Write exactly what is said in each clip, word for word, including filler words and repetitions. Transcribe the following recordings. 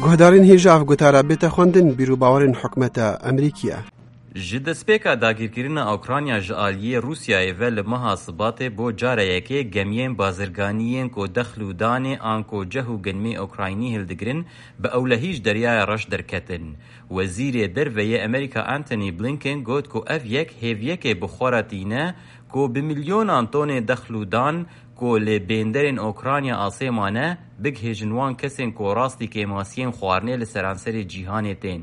Guhdarên hêja ev gotara bête xwendin bîr û bawerên hikûmeta Amerîkî ye. Ji destpêka dagirkirina Ukrayna ji aliyê Rûsyayê ve li meha Sibatê bo cara yekê gemiyên bazirganî yên ku dexl û danê an ku ceh û genimê Ukraynî hildigirin, bi ewlehî ji Deryaya Reş derketin. Wezîrê Derve yê Amerîka Antony Blinken got ku ev yek hêviyekê bi xwe re tîne ku bi milyonan tonê dexl û dan ku li bênderên Okrayna asê mane, bigihêjin wan kesên ku rastî kêmasiyên xwarinê li seranserê cîhanê tên.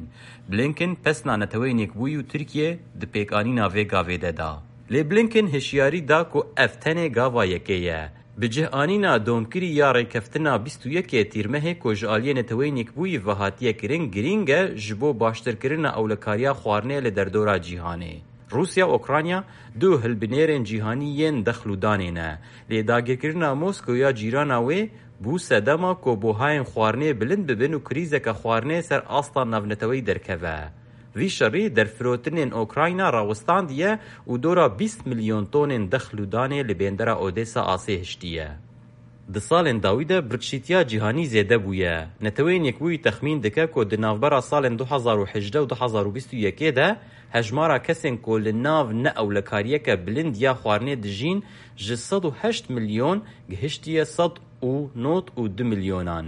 Blinken pesna Neteweyên Yekbûyî û Tirkiye di pêkanîna vê gavê de da. Lê Blinken hişyarî da ku ev tenê gava yekê ye. Bi cih anîna domkirî ya rêkeftina bîst û yekê Tîrmehê ku ji aliyê Neteweyên Yekbûyî ve hatiye kirin, girîng e ji bo baştirkirina ewlekariya xwarinê li derdora cîhanê. Rûsya û Ukrayna du hilbinêrên cîhanî yên dexl û danê ne. Lê dagirkirina Moskow ya cîrana wê bû sedema ku buhayên xwarinê bilind bibin û krîzeke xwarinê ser asta navneteweyî derkeve. Vî şerî derfirotinên Ukrayna rawistandiye û dora bîst milyon tonên dexl û danê li bêndera Odesa asê hiştiye. Di salên dawî de birçîtiya cîhanî zêde bûye. Neteweyên Yekbûyî texmîn dike ku di navbera salên du hezar û hejdeh û du hezar û bîst û yekê de hejmara kesên ku li nav neewlekariyeke bilind ya xwarinê dijîn ji sed û heşt milyon gihiştiye sed û nod û du milyonan.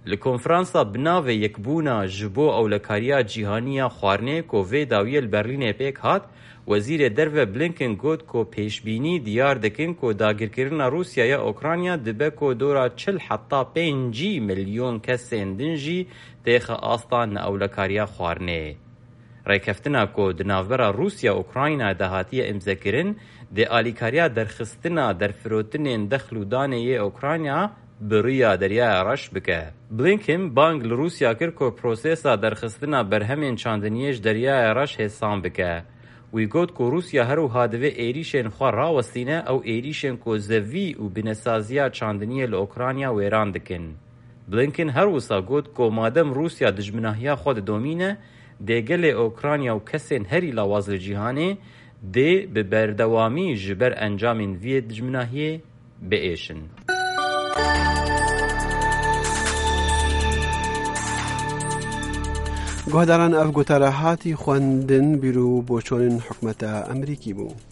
Li konferansa bi navê Yekbûna ji bo ewlekariya cîhanî ya xwarinê ku vê dawiyê li Berlînê pêk hat, Wezîrê Derve Blinken got ku pêşbînî diyar dikin ku dagirkirina Rûsya ya Ukrayna dibe ku dora çil heta pêncî milyon kesên din jî têxe asta neewlekariya xwarinê. Rêkeftina ku di navbera Rûsya û Ukrayna de hatiye îmzekirin, dê alîkariya derxistina derfirotinên dexl û danê yê Ukrayna bi riya Deryaya Reş bike. Blinken bang li Rûsya kir ku prosesa derxistina berhemên çandiniyê ji Deryaya Reş hêsan bike. Wî got ku Rûsya her wiha divê êrîşên xwe rawestîne, ew êrîşên ku zevî û binesaziya çandiniyê li Ukrayna wêran dikin. Blinken her wisa got ku madem Rûsya dijminahiya xwe didomîne, dê gelê Ukrayna û kesên herî lawaz li cîhanê dê bi berdewamî ji ber encamên vî dijminahiyê biêşin. Guhdaran, ev gotara hatî xwendin, bîr û boçonên hikûmeta Amerîkî bû.